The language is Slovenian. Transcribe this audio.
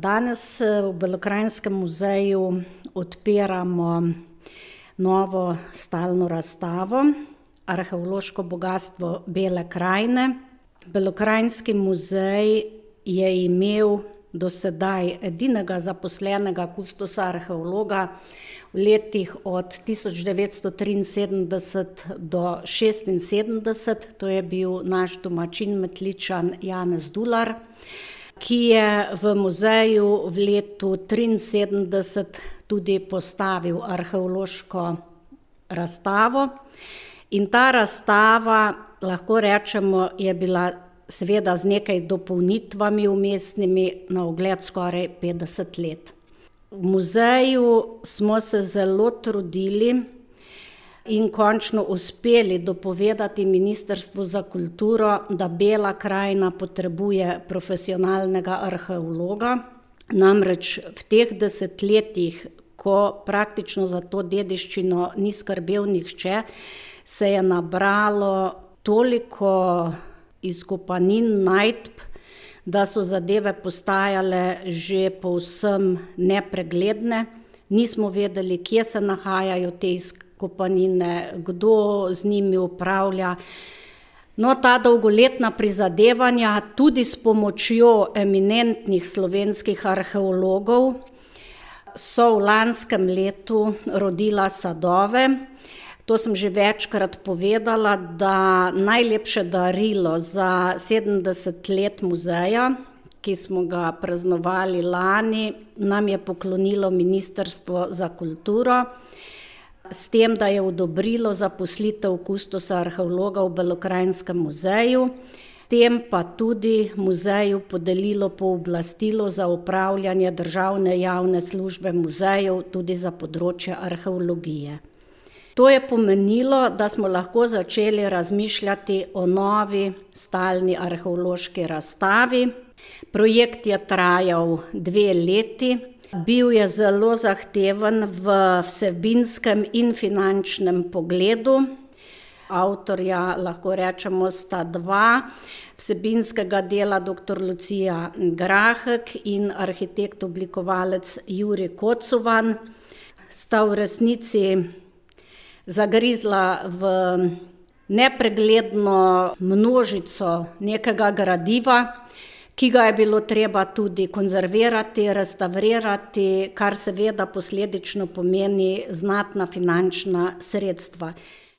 Danes v Belokranjskem muzeju odpiramo novo stalno razstavo Arheološko bogastvo Bele krajine. Belokranjski muzej je imel do sedaj edinega zaposlenega kustosa arheologa v letih od 1973 do 1976, to je bil naš domačin Metličan Janez Dular, ki je v muzeju v letu 1973 tudi postavil arheološko razstavo. In ta razstava, lahko rečemo, je bila seveda z nekaj dopolnitvami vmesnimi na ogled skoraj 50 let. V muzeju smo se zelo trudili in končno uspeli dopovedati Ministrstvu za kulturo, da Bela krajina potrebuje profesionalnega arheologa. Namreč v teh desetletjih, ko praktično za to dediščino ni skrbel nihče, se je nabralo toliko izkopanin, najdb, da so zadeve postajale že povsem nepregledne. Nismo vedeli, kje se nahajajo te izkopanine, kdo z njimi upravlja. No, ta dolgoletna prizadevanja, tudi s pomočjo eminentnih slovenskih arheologov, so v lanskem letu rodila sadove. To sem že večkrat povedala, da najlepše darilo za 70 let muzeja, ki smo ga praznovali lani, nam je poklonilo Ministrstvo za kulturo, s tem, da je odobrilo zaposlitev kustosa arheologa v Belokranjskem muzeju, tem pa tudi muzeju podelilo pooblastilo za upravljanje državne javne službe muzejev tudi za področje arheologije. To je pomenilo, da smo lahko začeli razmišljati o novi stalni arheološki razstavi. Projekt je trajal 2 leti, bil je zelo zahteven v vsebinskem in finančnem pogledu. Avtorja, lahko rečemo, sta 2, vsebinskega dela dr. Lucija Grahek in arhitekt oblikovalec Jurij Kocovan, sta v resnici zagrizla v nepregledno množico nekega gradiva, ki ga je bilo treba tudi konzervirati, restavrirati, kar seveda posledično pomeni znatna finančna sredstva.